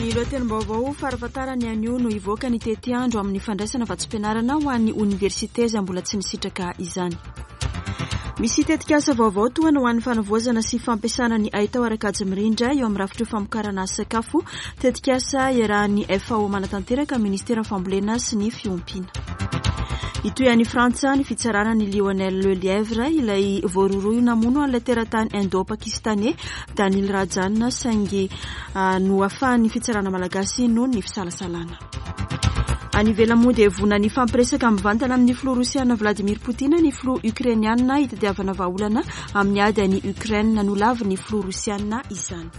Ny lohatenim-baovao farafahatarany anio no hivoaka ny tetiandro amin'ny fandraisana vatsim-pianarana ho an'ny oniversite izay mbola tsy nisitraka izany. Misy tetikasa vaovao tohana ho an'ny fanavaozana sy fampiasana ny haitao ara-kajy mirindra eo amin'ny rafitry famokarana sakafo, tetikasa iarahan'ny FAO manatanteraka amin'ny Ministeran'ny Fambolena sy ny Fiompiana. Hitohy any Frantsa ny fitsarana an'i Lionel Lelièvre, ilay voarohirohy namono an'ilay teratany Indo-Pakistaney Danil Rajan saingy nohafahan'ny fitsarana malagasy noho ny fisalasalana. Any ivelany moa dia vonona ny hifampiresaka mivantana amin'ny filoha rosiana Vladimir Poutine ny filoha ukrainiana hitadiavana vahaolana amin'ny ady any Ukraine. Nolavin'ny filoha rosiana izany.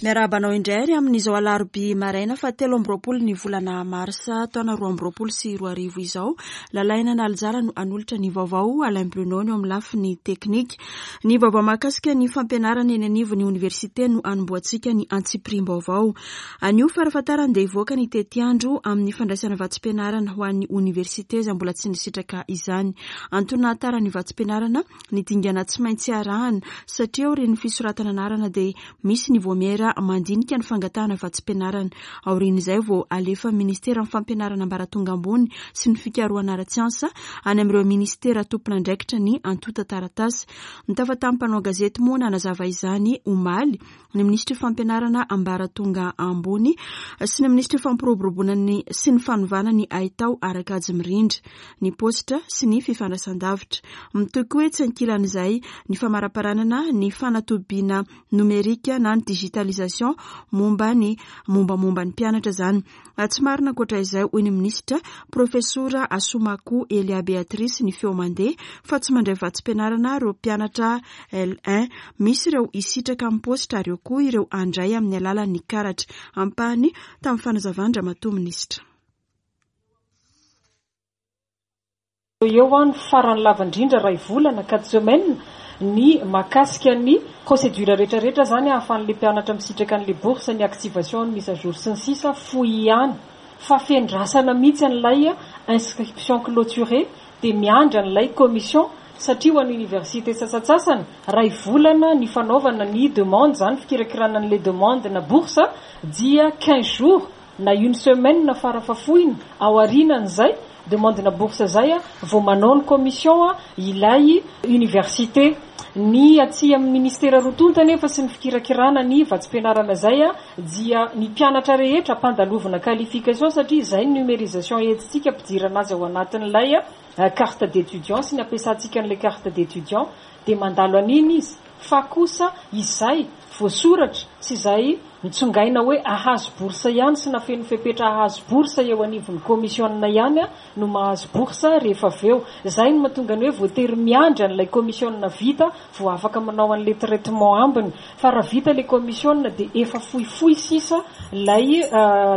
Miarahaba anao indray ary amin'izao alarobia maraina fa 23 ny volana marsa taona 2022 izao. Lalaina Analijara no hanolotra ny vaovao, Alain Bruno no eo amin'ny lafiny teknika. Ny vaovao mahakasika ny fampianarana eny anivon'ny oniversite no hanombohantsika ny antsipiriam-baovao. Anio farafahatarany dia hivoaka ny tetiandro amin'ny fandraisana vatsim-pianarana ho an'ny oniversite izay mbola tsy nisitraka izany. Antony nahatara ny vatsim-pianarana ny dingana tsy maintsy arahana satria aorian'ny fisoratana anarana dia misy ny voamiera mandinika ny fangatahana vatsim-pianarana. Aorian'izay vao alefa ministeran'ny fampianarana ambaratonga ambony sy ny fikarohana ara-tsiansa any amin'ireo ministera tompon'andraikitra ny antontan-taratasy. Nitafa tamin'ny mpanao gazety moa nanazava izany omaly ny minisitry fampianarana ambaratonga ambony sy ny minisitry fampiroboroboana ny sy ny fanovana ny haitao ara-kajy mirindra, ny paositra sy ny fifandraisan-davitra. Mitohy koa etsy ankilan'izay ny famaraparanana ny fanatobiana nomerika na ny digitalisation momba ny mombamomba ny mpianatra izany. Tsy marina ankoatra izay, hoy ny minisitra, Profesora Assoumacou Elia Béatrice ny feo mandeha fa tsy mandray vatsim-pianarana ireo mpianatra L1. Misy ireo hisitraka amin'ny paositra ary eo koa ireo handray amin'ny alalan'ny karatra. Ampahany tamin'ny fanazavan-dRamatoa Minisitra. Eo eo ny farany lava indrindra iray volana, quatre semaines, ny mahakasika ny procédure rehetra rehetra zany ahafahan'le mpianatra misitraka an'le bourse, ny activation, ny mise à jour sy ny sisa fohy ihany fa fendrasana mihitsy an'ilay inscription clôturée dia miandry an'ilay commission satria ho an'ny université sasantsasany iray volana ny fanaovana ny demande zany fikirakirana an'le demande na bourse dia 15 jours na une semaine farafahafohiny aorianan'izay demande-na bourse zay vao manao ny commission ilay université. Ny aty amin'ny ministera roa tonta anefa sy ny fikirakirana ny vatsim-pianarana zay dia ny mpianatra rehetra ampandalovina qualification satria izay ny numérisation entintsika ampidirana azy ao anatin'ilay carte d'étudiant sy ny ampiasantsika an'ilay carte d'étudiant dia mandalo an'iny izy fa kosa izay voasoratra sy izay nitsongaina hoe ahazo bourse ihany sy nafeno fepetra ahazo bourse eo anivon'ny commission ihany no mahazo bourse rehefa avy eo. Izay no mahatonga ny hoe voatery miandry an'ilay commission vita vao afaka manao an'ilay traitement ambiny. Fa raha vita ilay commission dia efa fohifohy sisa ilay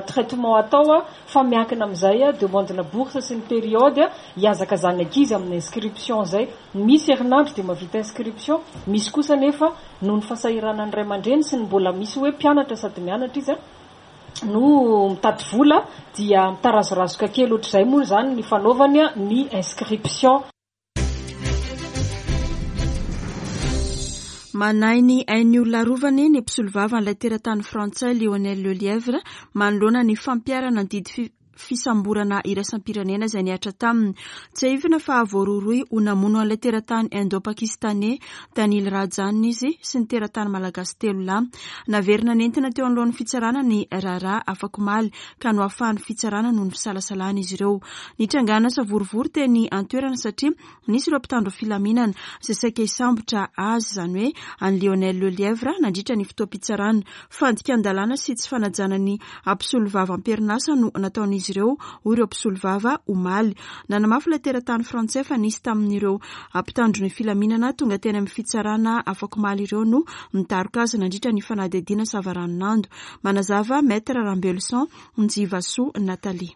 traitement atao fa miankina amin'izay demande-na bourse sy ny période hihazakazan'ny ankizy amin'ny inscription izay. Misy herinandro dia mahavita inscription, misy kosa anefa noho ny fahasahiranan'ny ray aman-dreny sy ny mbola misy hoe mpianatra sady mianatra izy no mitady vola dia mitarazorazoka kely ohatr'izay moa izany ny fanaovany ny inscription. Manahy ny ain'ny olona arovany ny mpisolovava an'ilay teratany frantsay Lionel Lelièvre manoloana ny fampiharana ny didy fisamborana iraisam-pirenena izay nihatra taminy. Tsiahivina fa voarohirohy ho namono an'ilay teratany Indo-Pakistaney Danil Rajan izy sy ny teratany malagasy telo lahy. Naverina nentina teo anoloan'ny fitsarana ny raharaha afakomaly ka nohafahan'ny fitsarana noho ny fisalasalana izy ireo. Nitrangana savorovoro teny an-toerana satria Nisy ireo mpitandro filaminana izay saika hisambotra azy, izany hoe an'i Lionel Lelièvre, nandritra ny fotoam-pitsarana. Fandikan-dalàna sy tsy fanajana ny mpisolovava am-perinasa no nataon'izy ireo, hoy ireo mpisolovava omaly. Nanamafy ilay teratany frantsay fa nisy tamin'ireo mpitandro ny filaminana tonga teny amin'ny fitsarana afakomaly ireo no nidaroka azy nandritra ny fanadihadiana savaranonando. Manazava Maître Rambeloson Njivasoa Nathalie.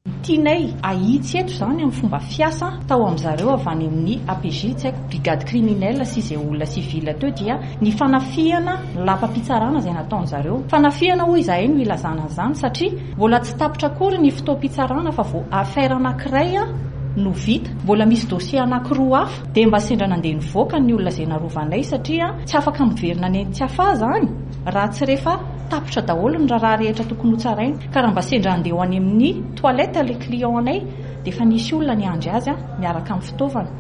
Tianay ahitsy eto izany amin'ny fomba fiasa tao amin-dry zareo avy any amin'ny APJ, tsy haiko, brigade criminelle sy izay olona civil teo dia ny fanafihana ny lapam-pitsarana izay nataon-dry zareo. Fanafihana hoy izahay no ilazana an'izany satria mbola tsy tapitra akory ny fotoam-pitsarana fa vao affaire anankiray. no vita. Mbola misy dossier anankiroa hafa dia mba sendra nandeha nivoaka ny olona izay narovanay satria tsy afaka miverina any Tsiafahy izany raha tsy rehefa tapitra daholo ny raharaha rehetra tokony hotsaraina. Ka raha mba sendra handeha ho any amin'ny toilette ilay client anay dia efa nisy olona niandry azy miaraka amin'ny fitaovana.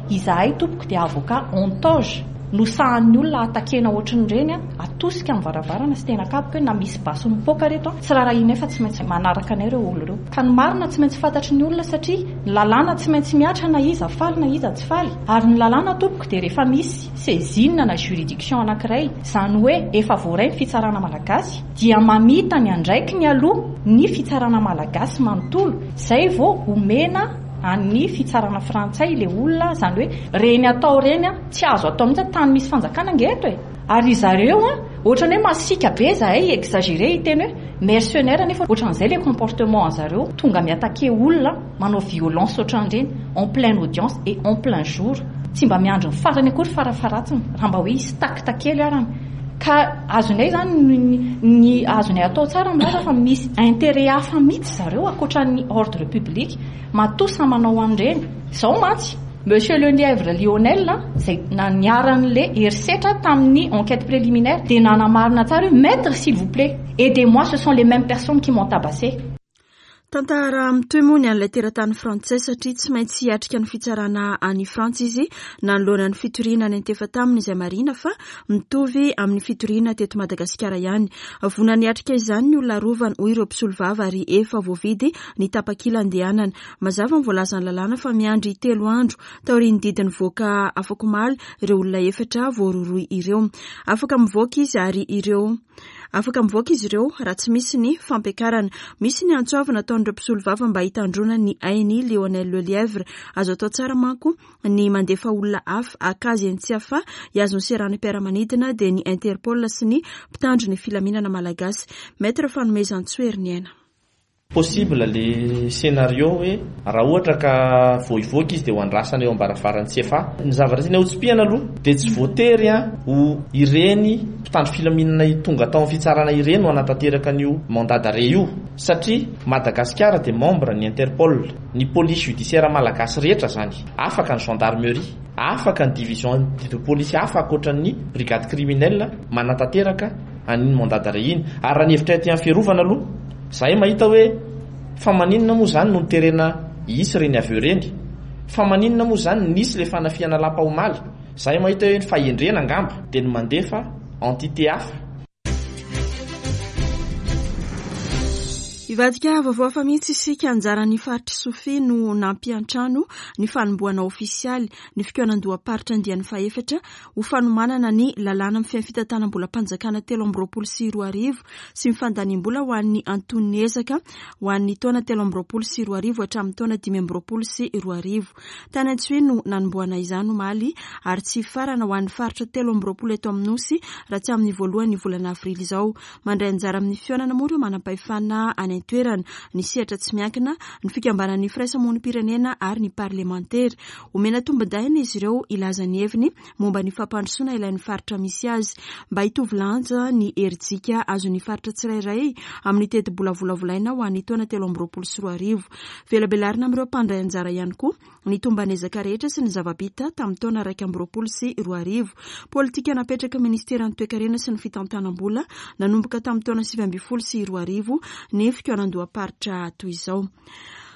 Izahay tompoko dia avocat en toge no sahan'ny olona attaquer-na ohatrin'ireny, atosika amin'ny varavarana sy tena kapoka hoe na misy basy mipoaka reto tsy rarahianay fa tsy maintsy manaraka anay ireo olona ireo. Ka ny marina tsy maintsy fantatry ny olona satria ny lalàna tsy maintsy mihatra na iza faly na iza tsy faly. Ary ny lalàna tompoko dia rehefa misy saisine na juridiction anankiray, izany hoe efa voaray ny fitsarana malagasy dia mamita ny andraikiny aloha ny fitsarana malagasy manontolo izay vao omena an'ny fitsarana frantsay ilay olona, izany hoe ireny atao ireny tsy azo atao mihitsy, tany misy fanjakana ange eto e! Ary zareo an, ohatran'ny hoe masiaka be zahay, exagéré hiteny hoe mercenaire nefa ohatran'izay ilay comportement an'zareo, tonga mi-attaquer olona, manao violence ohatran'ireny en pleine audience et en plein jour, tsy mba miandry ny farany akory farafaharatsiny raha mba hoe hisy tact kely arany. Ka azonay izany ny azonay atao tsara milaza fa misy intérêt hafa mihitsy zareo ankoatran'ny ordre public matoa samy manao an'ireny. Izao mantsy, Monsieur Lelièvre Lionel izay niharan'ilay herisetra tamin'ny enquête préliminaire dia nanamarina tsara hoe Maître s'il vous plaît, aidez-moi ce sont les mêmes personnes qui m'ont tabassé. Tantara mitohy moa ny an'ilay teratany frantsay satria tsy maintsy hiatrika ny fitsarana any Frantsa izy nanoloana ny fitoriana niantefa taminy izay marihina fa mitovy amin'ny fitoriana teto Madagasikara ihany. Vonona niatrika izany ny olona arovany hoy ireo mpisolovava ary efa voavidy ny tapakila andehanana. Mazava ny voalazan'ny lalàna fa miandry telo andro taorian'ny didy nivoaka afakomaly ireo olona efatra voarohirohy ireo. Afaka mivoaka izy ary ireo. Afaka mivoaka izy ireo raha tsy misy ny fampiakarana. Misy ny antso avo nataon'ireo mpisolovava mba hitandroana ny ain'i Lionel Lelièvre. Azo atao tsara manko ny mandefa olona hafa haka azy eny Tsiafahy hihazo ny seranam-piaramanidina dia ny Interpol sy ny mpitandro ny filaminana malagasy. Maître Fanomezantsoa Heriniaina. Possible le scenario hoe raha ohatra ka vao hivoaka izy dia ho andrasana eo ambaravaran'ny cfa. Ny zavatra tiana hotsipihana aloha dia tsy voatery ho ireny mpitandro filaminana tonga tao amin'ny fitsarana ireny no hanatanteraka an'io mandat d'arrêt io satria Madagasikara dia membre ny Interpol, ny police judiciaire malagasy rehetra zany, afaka ny gendarmerie, afaka ny division de police hafa ankoatran'ny brigade criminelle manatanteraka an'iny mandat d'arrêt iny. Ary raha ny hevitray aty amin'ny fiarovana aloha, Zahay mahita hoe fa maninona moa zany no noterena hisy ireny avy eo ireny? Fa maninona moa zany nisy le fanafihana lapa omaly? Zahay mahita hoe ny fahendrena angamba dia ny mandefa entité hafa. Hivadika vaovao hafa mihitsy isika, anjaran'ny faritr'i Sofia no nampiantrano ny fanombohana ofisialy ny fikaonandoham-paritra andiany fahefatra ho fanomanana ny lalàna mifehy ny fitantanam-bolam-panjakana 2023 sy ny fandaniam-bola ho an'ny anton'ny ezaka ho an'ny taona 2023 hatramin'ny taona 2025. Tany Antsohihy no nanombohana izany omaly ary tsy hifarana ho an'ny faritra 23 eto amin'ny Nosy raha tsy amin'ny voalohan'ny volana avrily izao. Mandray anjara amin'ny fihaonana moa ireo manampahefana any an-toerana, ny sehatra tsy miankina, ny fikambanan'ny firaisamonim-pirenena ary ny parlemantera. Omena tombondahiny izy ireo hilaza ny heviny momba ny fampandrosoana ilain'ny faritra misy azy. Mba hitovy lanja ny herijika azon'ny faritra tsirairay amin'ny tetibola volavolaina ho an'ny taona 2023. Velabelarina amin'ireo mpandray anjara ihany koa ny tomban'ezaka rehetra sy ny zava-bita tamin'ny taona 2021. Politika napetraky ny Ministeran'ny Toekarena sy ny Fitantanam-bola nanomboka tamin'ny taona 2019 ny fikaonandoham-paritra toy izao.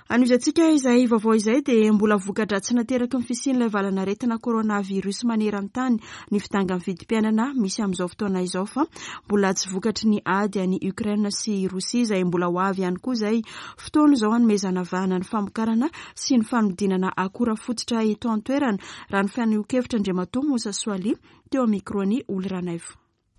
Anohizantsika izay vaovao izay dia mbola voka-dratsy nateraky ny fisian'ilay valanaretina coronavirus maneran-tany ny fidangan'ny vidim-piainana misy amin'izao fotoana izao fa mbola tsy vokatry ny ady any Ukraine sy Rosia izay mbola ho avy ihany koa izay fotoana izao hanomezana vahana ny famokarana sy ny fanodinana akora fototra eto an-toerana raha ny fanehoan-kevitra Andriamatoa Moussa Soali teo amin'ny micro-n'i Oly Ranaivo.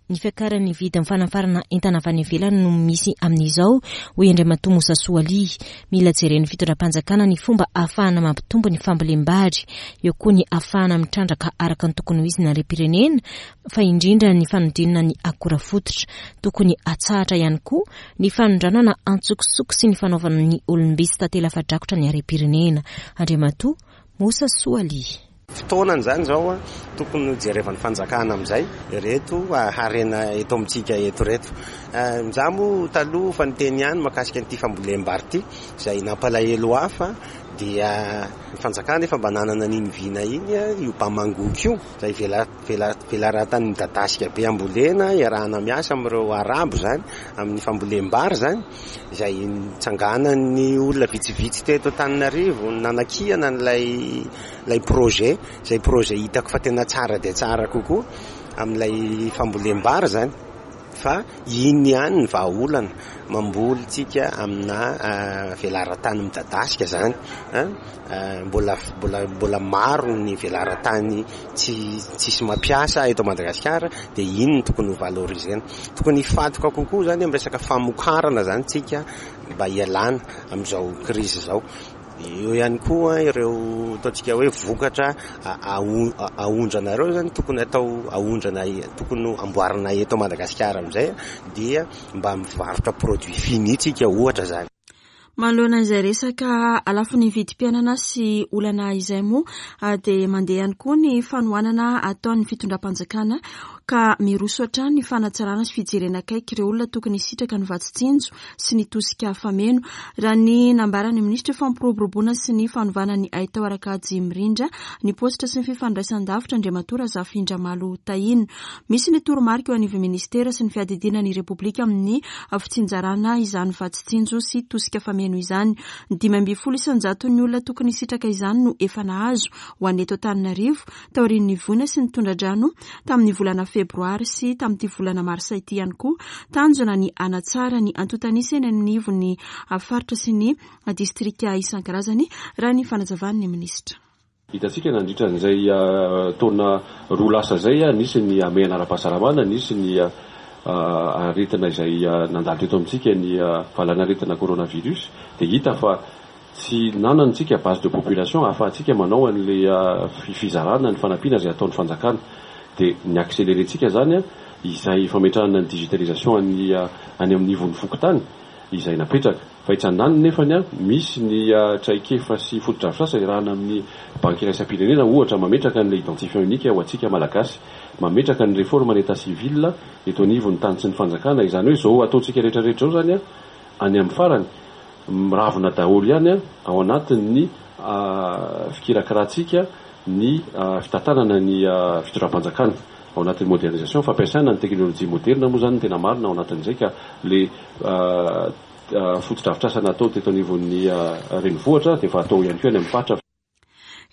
Ny fiakaran'ny vidin'ny fanafarana entana avy any ivelany no misy amin'izao, hoy Andriamatoa Moussa Soali. Mila jeren'ny fitondram-panjakana ny fomba ahafahana mampitombo ny fambolem-bary. Eo koa ny ahafahana mitrandraka araka ny tokony ho izy ny harem-pirenena, fa indrindra ny fanodinana ny akora fototra. Tokony hatsahatra ihany koa ny fanondranana antsokosoko sy ny fanaovana ny olom-by sy tantely afa-drakotra ny harem-pirenena. Andriamatoa Moussa Soali. Fotoanany izany izao tokony ho jerevan'ny fanjakana amin'izay ireto harena eto amintsika eto ireto. Izaho moa taloha efa niteny ihany mahakasika an'ity fambolem-bary ity izay nampalahelo ahy fa Dia ny fanjakana efa mba nanana an'iny vina iny, io Bamangoky io, izay velaran-tany midadasika be ambolena, iarahana miasa amin'ireo arabo izany, amin'ny fambolem-bary izany, izay nitsanganan'ny olona vitsivitsy teto Antananarivo nanakihana an'ilay ilay projet, izay projet hitako fa tena tsara dia tsara kokoa amin'ilay fambolem-bary izany. Fa iny ihany ny vahaolana, mamboly tsika amina velaran-tany midadasika izany an, mbola mbola mbola maro ny velaran-tany tsy tsisy mampiasa eto Madagasikara dia iny no tokony ho valoriser-na. Tokony hifantoka kokoa izany amin'ny resaka famokarana izany tsika mba hialana amin'izao krizy izao. Eo ihany koa ireo ataontsika hoe vokatra aondrana ireo izany tokony atao aondrana tokony amboarina eto Madagasikara amin'izay dia mba mivarotra produit fini tsika ohatra izany. Manoloana izay resaka lafiny vidim-piainana sy olana izay moa dia mandeha ihany koa ny fanohanana ataon'ny fitondram-panjakana ka miroso hatrany ny fanatsarana sy fijerena akaiky ireo olona tokony hisitraka ny vatsy tsinjo sy ny tosika fameno, raha ny nambaran'ny minisitry fampiroboroboana sy ny fanovana ny haitao ara-kajy mirindra ny paositra sy ny fifandraisan-davitra Andriamatoa Razafindramalo Tahina. Misy ny toromarika eo anivon'ny minisitera sy ny fiadidiana ny Repoblika amin'ny fitsinjarana izany vatsy tsinjo sy tosika fameno izany. 15 isan-jaton'ny olona tokony hisitraka izany no efa nahazo ho an'ny eto Antananarivo taorian'ny voina sy ny tondra-drano tamin'ny volana febroary sy tamin'ity volana marsa ity ihany koa. Tanjona ny hanatsara ny antontan'isa eny anivon'ny faritra sy ny distrika isan-karazany, raha ny fanazavan'ny minisitra. Hitantsika nandritra an'izay taona roa lasa izay, nisy ny hamehana ara-pahasalamana, nisy ny aretina izay nandalo teto amintsika, ny valanaretina coronavirus, dia hita fa Tsy nanana isika base de population ahafahantsika manao an'ilay fizarana ny fanampiana izay ataon'ny fanjakana. Dia ny accelerer-tsika izany izay fametrahana ny digitalisation any any amin'ny ivon'ny fokontany izay napetraka. Fa etsy andaniny nefany misy ny traikefa sy fotodrafitrasa iarahana amin'ny banky iraisam-pirenena ohatra mametraka an'ilay identifiant unique ho antsika Malagasy, mametraka ny réforme ny état civil eto anivon'ny tany sy ny fanjakana. Izany hoe izao ataontsika rehetra rehetra izao izany any amin'ny farany Miravona daholo ihany ao anatin'ny fikirakirantsika ny fitantanana ny fitondram-panjakana. Ao anatin'ny modernisation, fampiasana ny teknolojia moderina moa izany no tena marina ao anatin'izay ka ilay fotodrafitrasa natao teto anivon'ny renivohitra dia efa atao ihany koa any amin'ny faritra.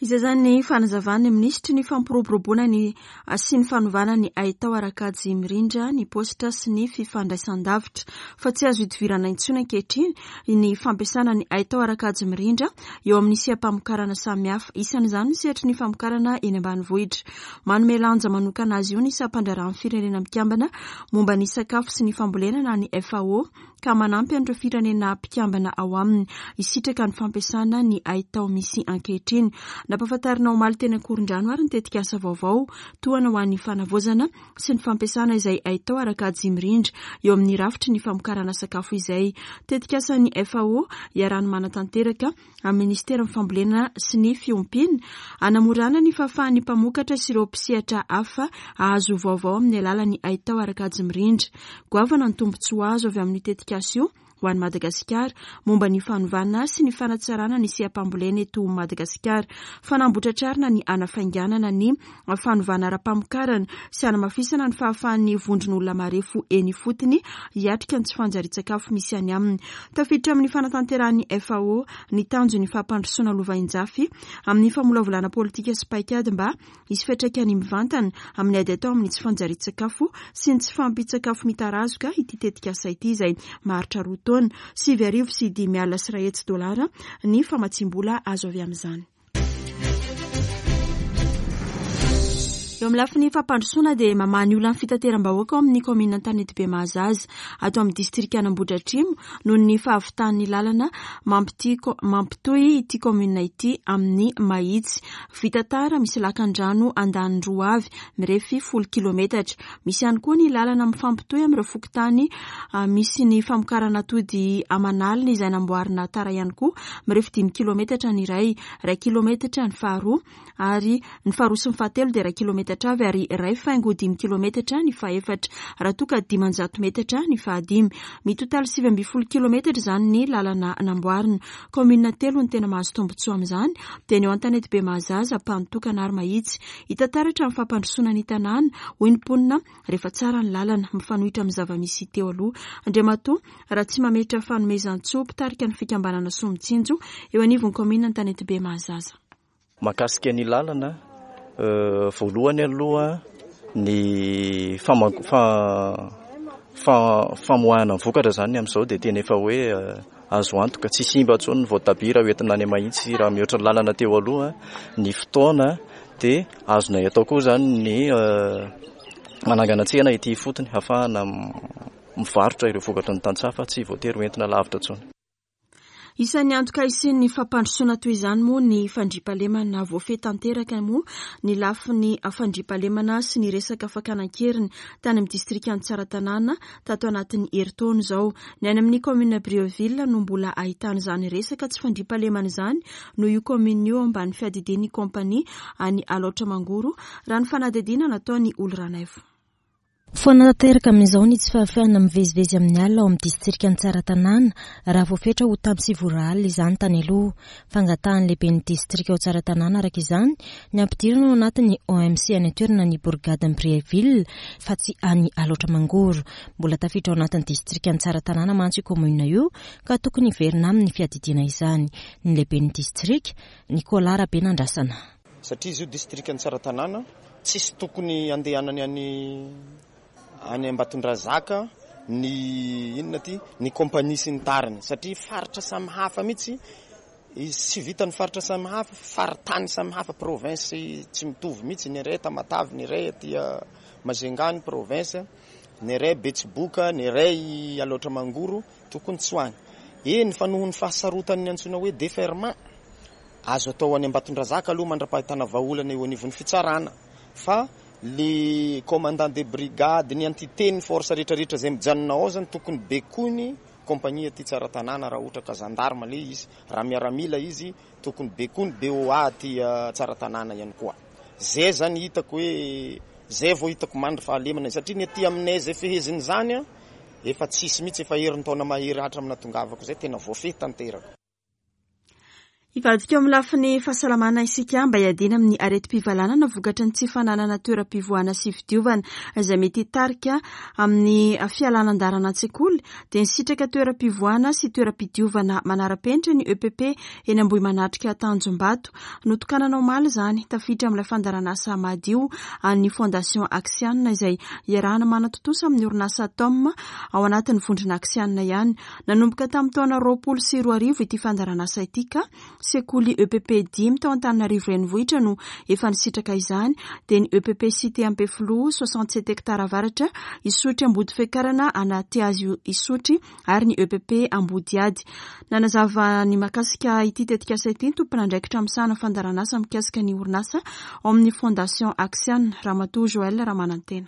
Izay izany ny fanazavan'ny minisitry ny fampiroboroboana ny sy ny fanovana ny haitao ara-kajy mirindra ny paositra sy ny fifandraisan-davitra fa tsy azo idivirana intsony ankehitriny ny fampiasana ny haitao ara-kajy mirindra eo amin'ny seha-pamokarana samihafa, isan'izany ny sehatry ny famokarana eny ambanivohitra. Manome lanja manokana azy io ny sampandraharahan'ny Firenena Mikambana momba ny sakafo sy ny fambolena na ny FAO. ka manampy an'ireo firenena mpikambana ao aminy hisitraka ny fampiasana ny haitao misy ankehitriny. Nampahafantarina omaly teny Ankorondrano ary ny tetikasa vaovao tohana ho an'ny fanavaozana sy ny fampiasana izay haitao ara-kajy mirindra eo amin'ny rafitry ny famokarana sakafo izay. Tetikasan'ny FAO iarahan'ny manatanteraka amin'ny Minisiteran'ny Fambolena sy ny Fiompiana, hanamorana ny fahafahan'ny mpamokatra sy ireo mpisehatra hafa hahazo vaovao amin'ny alalan'ny haitao ara-kajy mirindra. Goavana ny tombontsoa azo avy amin'io tetikasa io ho an'i Madagasikara momba ny fanovana sy ny fanatsarana ny seha-pambolena eto Madagasikara. Fanambotratrarina ny hanafainganana ny fanovana ara-pamokarana sy hanamafisana ny fahafahan'ny vondron'olona marefo eny ifotony hiatrika ny tsy fanjarian-tsakafo misy any aminy. Tafiditra amin'ny fanatanterahan'ny FAO ny tanjon'ny fampandrosoana lovainjafy amin'ny famolavolana politika sy paikady mba hisy fiantraikany mivantana amin'ny ady atao amin'ny tsy fanjarian-tsakafo sy ny tsy fahampian-tsakafo mitarazoka ity tetikasa ity izay maharitra roa taona. 190 150 dolara ny famatsiam-bola azo avy amin'izany. Eo amin'ny lafiny fampandrosoana dia mamaha ny olan'ny fitateram-bahoaka ao amin'ny kaominina Antanetibe Mahazaza, ato amin'ny distrikan'Ambohidratrimo noho ny fahavitan'ny lalana mampitohy ity kaominina ity amin'ny Mahitsy. Vita tara, misy lakan-drano andaniny roa avy, mirefy folo kilometatra. Misy ihany koa ny lalana mifampitohy amin'ireo fokontany misy ny famokarana atody aman'alina izay namboarina tara ihany koa, mirefy dimy kilometatra ny iray, iray kilometatra ny faharoa ary ny faharoa sy ny fahatelo dia iray kilometatra. metatra avy ary 1,5 kilometatra ny fahefatra, raha toa ka 500 metatra ny fahadimy. Mitotaly 19 kilometatra izany ny lalana namboarina. Kaominina telo no tena mahazo tombontsoa amin'izany, dia ny ao Antanetibe Mahazaza, Ampanotokana ary Mahitsy. Hita taratra ny fampandrosoana ny tanàna, hoy ny mponina, rehefa tsara ny lalana, mifanohitra amin'ny zava-misy teo aloha. Andriamatoa Ratsimametra Fanomezantsoa, mpitarika ny fikambanana Soa Mitsinjo, eo anivon'ny kaominina Antanetibe Mahazaza. Mahakasika ny lalana, voalohany aloha ny famoahana ny vokatra izany amin'izao dia tena efa hoe azo antoka, tsy simba intsony ny voatabia raha hoentina any Mahitsy raha mihoatra ny lalana teo aloha ny fotoana dia azonay atao koa izany ny manangana tsena ety ifotony ahafahana mivarotra ireo vokatry ny tantsaha fa tsy voatery hoentina lavitra intsony. Isan'ny antoka hisian'ny fampandrosoana toy izany moa ny fandriampahalemana. Voafehy tanteraka moa ny lafiny fandriampahalemana sy ny resaka fakana an-keriny tany amin'ny distrikan'i Tsaratanàna tato anatin'ny herintaona izao. Ny any amin'ny kaominina Brieville no mbola ahitana izany resaka tsy fandriampahalemana izany noho io kaominina io ao ambany fiadidian'ny kaompania any Alaotra Mangoro, raha ny fanadihadiana nataon'i Oly Ranaivo. Foana tanteraka amin'izao ny tsy fahafahana mivezivezy amin'ny alina ao amin'ny distrikan'i Tsaratanàna, raha voafetra ho tamin'ny 9 ora alina izany tany aloha. Fangatahan'ny lehiben'ny distrika ao Tsaratanàna araka izany ny hampidirana ao anatin'ny OMC any an-toerana ny borigadin'i Brieville fa tsy any Alaotra Mangoro. Mbola tafiditra ao anatin'ny distrikan'i Tsaratanàna mantsy io kaominina io ka tokony hiverina aminy ny fiadidiana izany. Ny lehiben'ny distrika, Nicolas Rabenandrasana. Satria izy io distrikan'i Tsaratanàna, tsisy tokony handehanany any any Ambatondrazaka ny inona ty, ny compagnie sy ny tariny satria faritra samy hafa mihitsy izy, tsy vitan'ny faritra samy hafa fa faritany samy hafa, province tsy mitovy mihitsy, ny iray Tamatave, ny iray aty Majunga ny province, ny iray Betsiboka, ny iray Alaotra Mangoro, tokony tsy ho any. Eny fa noho ny fahasarotan'ny antsoina hoe deferment, Azo atao any Ambatondrazaka aloha mandra-pahitana vahaolana eo anivon'ny fitsarana fa le commandant de brigade, ny entité, ny force rehetra rehetra izay mijanona ao zany tokony bekoiny compagnie aty Tsaratanàna raha ohatra ka gendarme le izy, raha miaramila izy tokony bekoiny BOA aty Tsaratanàna ihany koa. Zay zany hitako hoe zay vao hitako mandry fahalemana satria ny aty aminay zay fehezin'izany efa tsisy mihitsy efa herintaona mahery hatramin'ny nahatongavako zay tena voafehy tanteraka. Hivadika eo amin'ny lafiny fahasalamana isika mba hiadiana amin'ny aretim-pivalanana vokatry ny tsy fananana toeram-pivoahana sy fidiovana izay mety hitarika amin'ny fialana an-dalana an-tsekoly dia nisitraka toeram-pivoahana sy toeram-pidiovana manara-penitra ny EPP eny Ambohimanatrika Tanjombato. Notokanana omaly izany, tafiditra amin'ilay fandaharanasa Madio an'ny Fondation Axian izay iarahana manatontosa amin'ny orinasa Tom ao anatin'ny vondrona Axian ihany. Nanomboka tamin'ny taona 2020 ity fandaharanasa ity ka sekoly EPP dimy tao Antananarivo Renivohitra no efa nisitraka izany dia ny EPP Cité Ampefiloha, 67 hectares avaratra, Isotry Ambodifekarana, Anatihazo Isotry ary ny EPP Ambodihady. Nanazava ny mahakasika ity tetikasa ity ny tompon'andraikitra misahana fandaharanasa mikasika ny orinasa ao amin'ny Fondation Axian, Ramatoa Joël Ramanantena.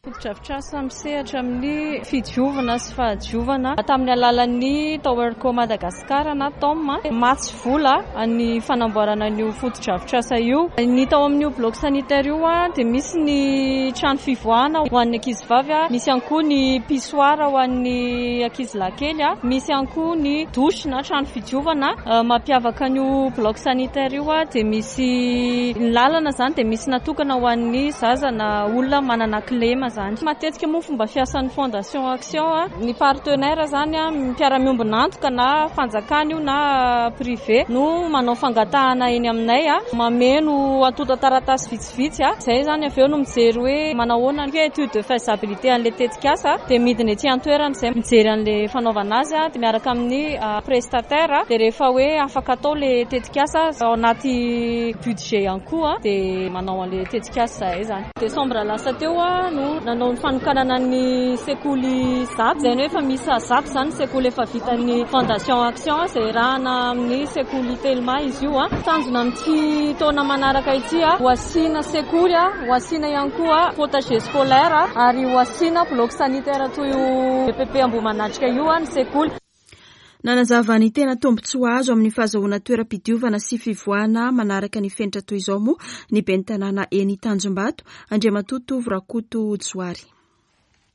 Fotodrafitrasa misehatra amin'ny fidiovana sy fahadiovana tamin'ny alalan'ny Towerco Madagascar na TOM. Mamatsy vola ny fanamboarana an'io fotodrafitrasa io. Ny tao amin'io bloc sanitaire io dia misy ny trano fivoahana ho an'ny ankizivavy, misy ihany koa ny pissoir ho an'ny ankizilahy kely, misy ihany koa ny douche na trano fidiovana. Mampiavaka an'io bloc sanitaire io dia misy ny lalana izany dia misy natokana ho an'ny zaza na olona manana kilema izany. Matetika moa fomba fiasan'ny Fondation Action, ny partenaire izany, mpiara-miombon'antoka na fanjakana io na privé no manao fangatahana eny aminay, mameno antontan-taratasy vitsivitsy, izay izany avy eo no mijery hoe manahoana ny étude de faisabilité an'ilay tetikasa dia midina ety an-toerana izay mijery an'ilay fanaovana azy dia miaraka amin'ny prestataire dia rehefa hoe afaka atao ilay tetikasa ao anaty budget ihany koa dia manao an'ilay tetikasa izahay izany. Desambra lasa teo no nanao ny fanokanana ny sekoly 100, izay hoe efa miisa 100 izany ny sekoly efa vitan'ny Fondation Action izay iarahana amin'ny sekoly Telma izy io. Tanjona amin'ity taona manaraka ity, ho asiana sekoly, ho asiana ihany koa potager scolaire ary ho asiana bloc sanitaire toy io EPP Ambohimanatrika io ny sekoly. Nanazava ny tena tombontsoa azo amin'ny fahazahoana toeram-pidiovana sy fivoahana manaraka ny fenitra toy izao moa ny ben'ny tanàna eny Tanjombato, Andriamatoa Tovo Rakoto Johary.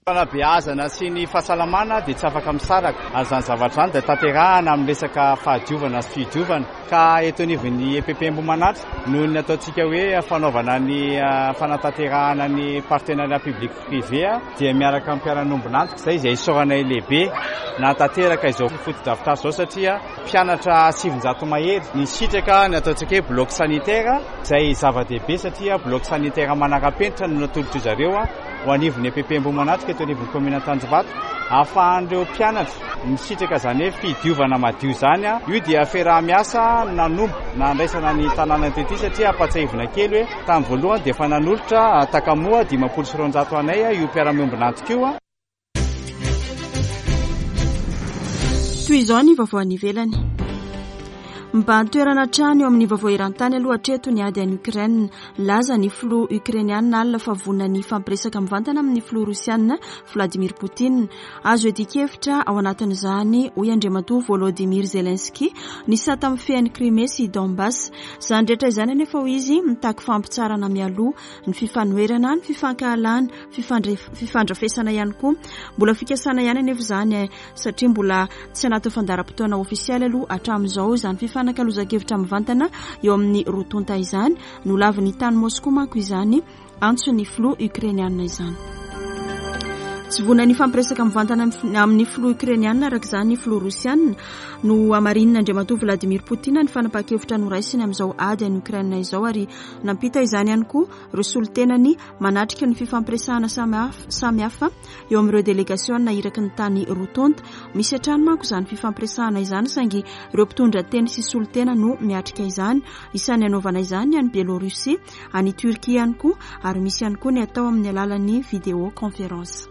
Fanabeazana sy ny fahasalamana dia tsy afaka misaraka ary izany zavatra izany dia tanterahana amin'ny resaka fahadiovana sy fidiovana ka eto anivon'ny EPP Ambohimanatra noho ny ataontsika hoe fanaovana ny fanatanterahana ny partenariat public privé dia miaraka amin'ny mpiara-miombon'antoka izay izay isaoranay lehibe nahatanteraka izao fotodrafitrasa izao satria mpianatra 900 mahery nisitraka ny ataontsika hoe bloc sanitaire izay zava-dehibe satria bloc sanitaire manara-penitra no natolotr'izy ireo ho anivon'ny EPP Ambohimanatrika eto anivon'ny kaominina Antanjombato ahafahan'ireo mpianatra misitraka izany hoe fidiovana madio izany. Io dia fiaraha-miasa nanomboka nandraisana ny tanàna tety satria ampatsiahivina kely hoe tamin'ny voalohany dia efa nanolotra takamoa 250 anay io mpiara-miombon'antoka io. Toy izao ny vaovao any ivelany. Mibahan-toerana hatrany eo amin'ny vaovao eran-tany aloha hatreto ny ady any Ukraine. Nilaza ny filoha Ukrainiana alina fa vonona ny hifampiresaka mivantana amin'ny filoha Rosiana Vladimir Poutine. Azo iadian-kevitra ao anatin'izany, hoy Andriamatoa Volodymyr Zelensky, ny sata mifehy an'i Crimée sy Donbass. Izany rehetra izany anefa, hoy izy, mitaky fampitsaharana mialoha ny fifanoherana, ny fifankahalana, fifandrafesana ihany koa. Mbola fikasana ihany anefa izany satria mbola tsy anatin'ny fandaharam-potoana ofisialy aloha hatramin'izao izany fifanakalozan-kevitra mivantana eo amin'ny roa tonta izany. Nolavin'ny tany Moskoa manko izany antson'ny filoha Ukrainiana izany. Tsy vonona ny hifampiresaka mivantana amin'ny filoha Ukrainiana araka izany ny filoha Rosiana. Nohamarinin'Andriamatoa Vladimir Poutine ny fanapahan-kevitra noraisiny amin'izao ady any Ukraine izao ary nampita izany ihany koa ireo solontenany manatrika ny fifampiresahana samihafa eo amin'ireo delegasiona iraky ny tany roa tonta. Misy hatrany manko izany fifampiresahana izany saingy ireo mpitondra teny sy solontena no miatrika izany. Isan'ny hanaovana izany ny any Biélorussie, any Turquie ihany koa ary misy ihany koa ny atao amin'ny alalan'ny vidéo conférence.